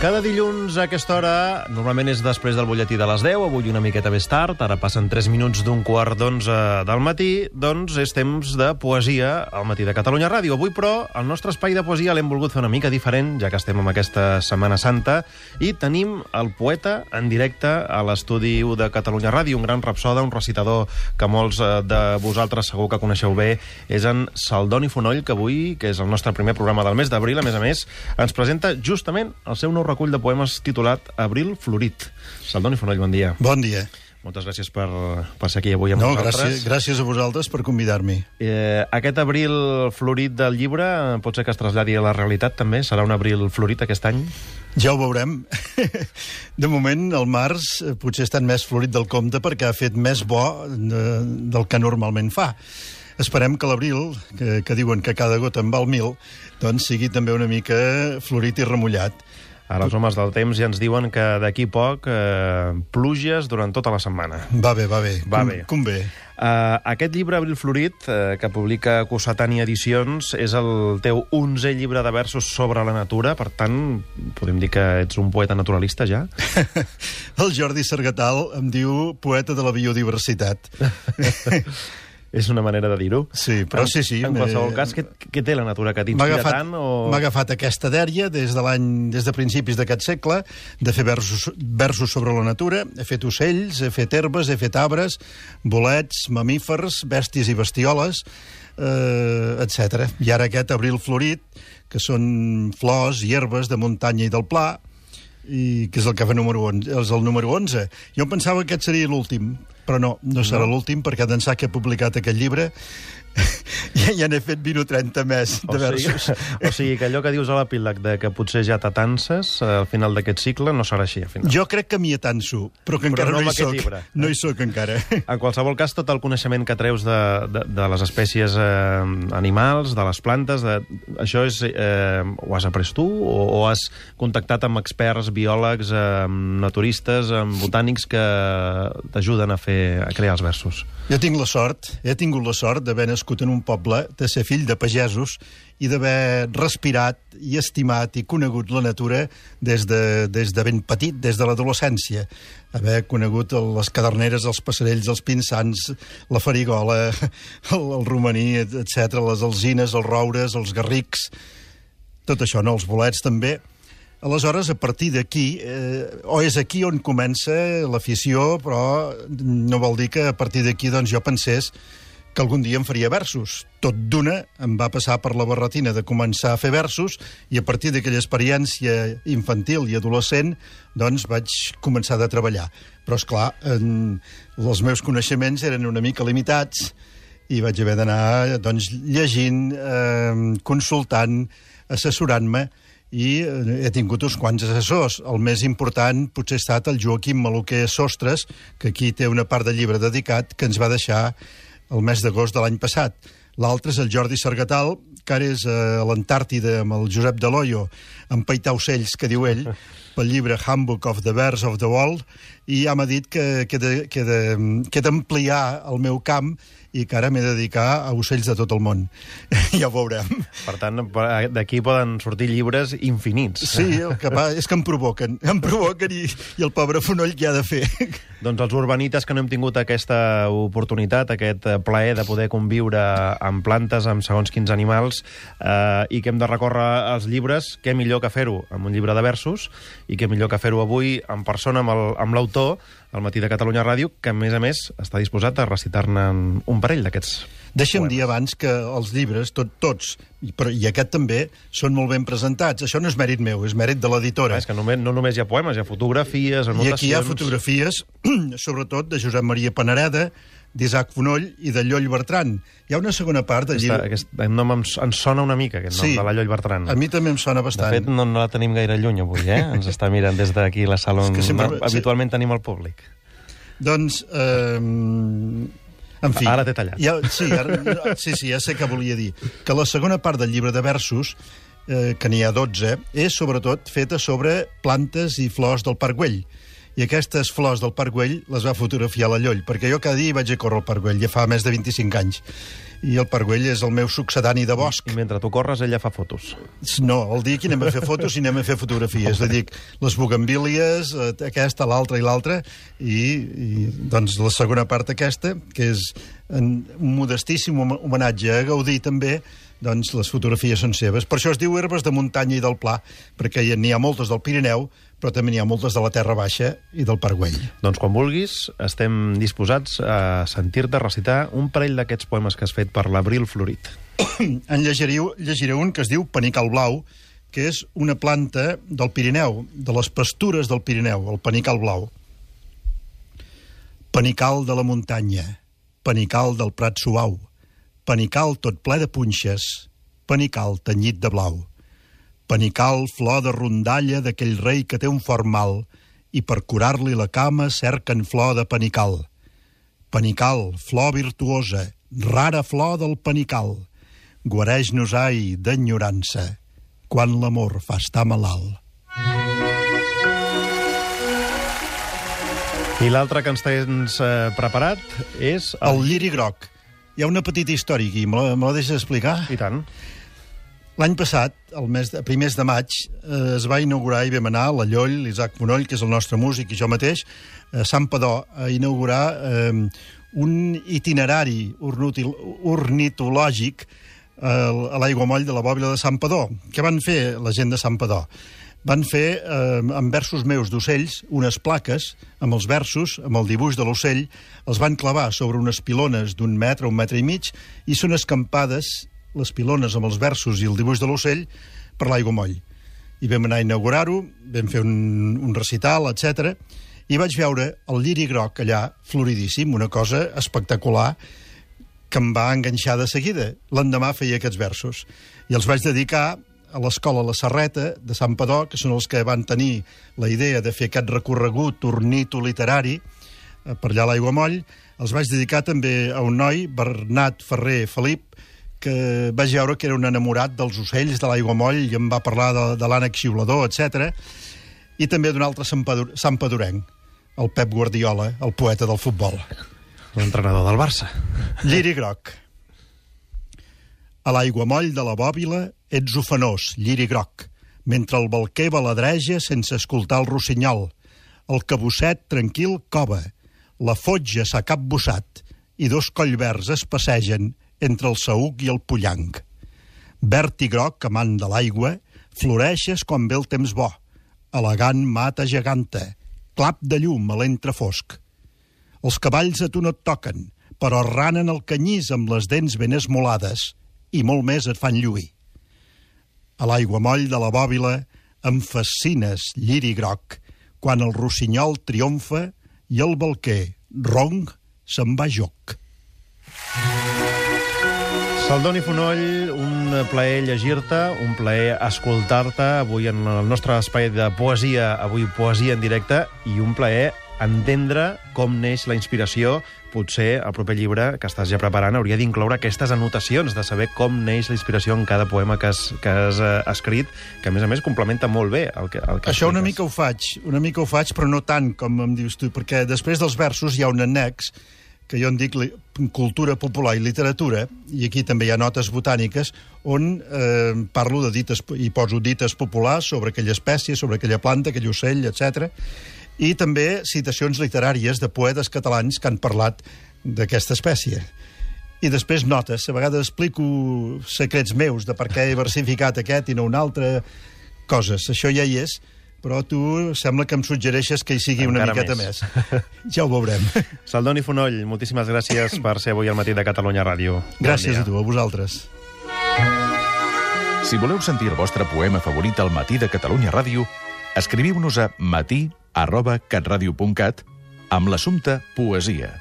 Cada dilluns a aquesta hora, normalment és després del butlletí de les 10, avui una miqueta més tard, ara passen 3 minuts d'un quart d'11 del matí, doncs és temps de poesia al matí de Catalunya Ràdio. Avui, però, el nostre espai de poesia l'hem volgut fer una mica diferent, ja que estem en aquesta Setmana Santa, i tenim el poeta en directe a l'estudi de Catalunya Ràdio, un gran rapsoda, un recitador que molts de vosaltres segur que coneixeu bé, és en Saldoni Fonoll, que avui, que és el nostre primer programa del mes d'abril, a més, ens presenta justament el seu nou recull de poemes titulat Abril Florit. Saldoni Fonoll, bon dia. Bon dia. Moltes gràcies per ser aquí avui amb vosaltres. Gràcies a vosaltres per convidar-m'hi. Aquest abril florit del llibre pot ser que es traslladi a la realitat, també? Serà un abril florit aquest any? Ja ho veurem. De moment, el març potser ha estat més florit del compte perquè ha fet més bo del que normalment fa. Esperem que l'abril, que diuen que cada gota en val 1000, doncs sigui també una mica florit i remullat. Ara els homes del temps ja ens diuen que d'aquí poc pluges durant tota la setmana. Va bé. Convé. Aquest llibre, Abril Florit, que publica Cossetània Edicions, és el teu 11è llibre de versos sobre la natura, per tant, podem dir que ets un poeta naturalista, ja? El Jordi Sargatal em diu poeta de la biodiversitat. És una manera de dir-ho. Sí, però sí. En qualsevol cas, què té la natura que t'inspira tant? M'ha agafat aquesta dèria des de principis d'aquest segle, de fer versos sobre la natura. He fet ocells, he fet herbes, he fet arbres, bolets, mamífers, bèsties i bestioles, etc. I ara aquest abril florit, que són flors i herbes de muntanya i del pla, i que és el que fa és el número 11. Jo em pensava que aquest seria l'últim, però no serà l'últim, perquè d'ençà que he publicat aquest llibre ja n'he fet 20 o 30 més de versos. O sigui que allò que dius a l'epíleg de que potser ja t'atances al final d'aquest cicle no serà així, al final. Jo crec que m'hi atanso, però que encara no hi soc. No hi soc encara. En qualsevol cas, tot el coneixement que treus de les espècies animals, de les plantes, això ho has après tu o has contactat amb experts, biòlegs, naturistes, botànics que t'ajuden a crear els versos? Jo tinc la sort, he tingut la sort d'haver nascut en un poble, de ser fill de pagesos i d'haver respirat i estimat i conegut la natura des de ben petit, des de l'adolescència. Haver conegut les caderneres, els passerells, els pinsans, la farigola, el romaní, etc., les alzines, els roures, els garrics, tot això, no? Els bolets també. Aleshores, a partir d'aquí, o és aquí on comença l'afició, però no vol dir que a partir d'aquí doncs, jo pensés que algun dia em faria versos. Tot d'una em va passar per la barretina de començar a fer versos i a partir d'aquella experiència infantil i adolescent doncs vaig començar a treballar. Però, esclar, els meus coneixements eren una mica limitats i vaig haver d'anar doncs, llegint, consultant, assessorant-me, i he tingut uns quants assessors. El més important potser ha estat el Joaquim Maluquer Sostres, que aquí té una part del llibre dedicat, que ens va deixar el mes d'agost de l'any passat. L'altre és el Jordi Sargatal, que ara és a l'Antàrtida amb el Josep Deloyo, empaitar ocells, que diu ell, pel llibre Handbook of the Birds of the World, i ja m'ha dit que he d'ampliar el meu camp i que ara m'he de dedicar a ocells de tot el món. Ja ho veurem. Per tant, d'aquí poden sortir llibres infinits. Sí, el que va és que em provoquen i el pobre Fonoll què ha de fer? Doncs els urbanites que no hem tingut aquesta oportunitat, aquest plaer de poder conviure amb plantes, amb segons quins animals, i que hem de recórrer als llibres, què millor que fer-ho amb un llibre de versos, i què millor que fer-ho avui en persona amb l'autor, al matí de Catalunya Ràdio, que a més està disposat a recitar-ne un parell d'aquests. Deixa'm dir abans que els llibres, tots, i aquest també, són molt ben presentats. Això no és mèrit meu, és mèrit de l'editora. És que no només hi ha poemes, hi ha fotografies, anotacions... I aquí hi ha fotografies, sobretot de Josep Maria Panareda, d'Isaac Fonoll i de Lloll Bertran. Hi ha una segona part del llibre... Aquest nom ens sona una mica, aquest nom de la Lloll Bertran. A mi també em sona bastant. De fet, no la tenim gaire lluny avui, Ens està mirant des d'aquí la sala on habitualment tenim el públic. Doncs, en fi... Ara t'he tallat. Sí, ja sé què volia dir. Que la segona part del llibre de versos, que n'hi ha 12, és sobretot feta sobre plantes i flors del Parc Güell. i aquestes flors del Parc Güell les va fotografiar la Lloll, perquè jo cada dia vaig a córrer al Parc Güell, ja fa més de 25 anys. I el Parc Güell és el meu succedani de bosc. I mentre tu corres, ella fa fotos. No, el dia que anem a fer fotos i anem a fer fotografies. És a dir, les bugambílies, aquesta, l'altra i l'altra, i doncs la segona part aquesta, que és un modestíssim homenatge a Gaudí també, doncs les fotografies són seves. Per això es diu Herbes de Muntanya i del Pla, perquè n'hi ha moltes del Pirineu, però també n'hi ha moltes de la Terra Baixa i del Parc Güell. Doncs quan vulguis, estem disposats a sentir-te recitar un parell d'aquests poemes que has fet per l'Abril Florit. En llegiré un que es diu Panical Blau, que és una planta del Pirineu, de les pastures del Pirineu, el panical blau. Panical de la muntanya, panical del prat suau, panical tot ple de punxes, panical tenyit de blau. Panical flor de rondalla d'aquell rei que té un fort mal i per curar-li la cama cerquen flor de panical. Panical, flor virtuosa, rara flor del panical. Guareix-nos, ai, d'enyorança, quan l'amor fa estar malalt. I l'altre que ens tens preparat és... El lliri groc. Hi ha una petita història aquí, me la deixes explicar? I tant. L'any passat, a primers de maig, es va inaugurar i vam anar la Lloll, l'Isaac Fonoll, que és el nostre músic, i jo mateix, a Santpedor, a inaugurar un itinerari ornitològic a l'aiguamoll de la bòbila de Santpedor. Què van fer la gent de Santpedor? Van fer, amb versos meus d'ocells, unes plaques amb els versos, amb el dibuix de l'ocell, els van clavar sobre unes pilones d'un metre, 1 metre i mig, i són escampades les pilones amb els versos i el dibuix de l'ocell per l'aiguamoll. I vam anar a inaugurar-ho, vam fer un recital, etc. I vaig veure el lliri groc allà, floridíssim, una cosa espectacular, que em va enganxar de seguida. L'endemà feia aquests versos. I els vaig dedicar a l'escola La Serreta de Santpedor, que són els que van tenir la idea de fer aquest recorregut ornitoliterari per allà a l'Aiguamoll. Els vaig dedicar també a un noi, Bernat Ferrer Felip, que vaig veure que era un enamorat dels ocells de l'Aiguamoll i em va parlar de l'ànec xiulador, etc. I també d'un altre santpedorenc, el Pep Guardiola, el poeta del futbol. L'entrenador del Barça. Lliri groc. A l'aiguamoll de la bòbila ets ofenós, lliri groc, mentre el balquer baladreja sense escoltar el rossinyol. El cabosset tranquil cova, la fotja s'ha capbussat i 2 collverds es passegen entre el saüc i el pollanc. Verd i groc, amant de l'aigua, floreixes quan ve el temps bo. Elegant mata geganta, clap de llum a l'entrefosc. Els cavalls a tu no et toquen, però ranen el canyís amb les dents ben esmolades i molt més et fan lluir. A l'aiguamoll de la bòbila em fascines, lliri groc, quan el rossinyol triomfa i el balquer, ronc, se'n va joc. Saldoni Fonoll, un plaer llegir-te, un plaer escoltar-te avui en el nostre espai de poesia, avui poesia en directe, i un plaer entendre com neix la inspiració. Potser el proper llibre que estàs ja preparant hauria d'incloure aquestes anotacions, de saber com neix la inspiració en cada poema que has escrit, que a més complementa molt bé el que això una mica ho faig, però no tant com em dius tu, perquè després dels versos hi ha un annex que jo en dic cultura popular i literatura, i aquí també hi ha notes botàniques, on parlo de dites, i poso dites populars sobre aquella espècie, sobre aquella planta, aquell ocell, etc. I també citacions literàries de poetes catalans que han parlat d'aquesta espècie. I després notes, a vegades explico secrets meus de per què he versificat aquest i no un altre, coses. Això ja hi és, però tu sembla que em suggereixes que hi sigui encara una miqueta més. Ja ho veurem. Saldoni Fonoll, moltíssimes gràcies per ser avui al matí de Catalunya Ràdio. Gràcies a tu, a vosaltres. Si voleu sentir el vostre poema favorit al matí de Catalunya Ràdio, escriviu-nos a matí@catradio.cat amb l'assumpte poesia.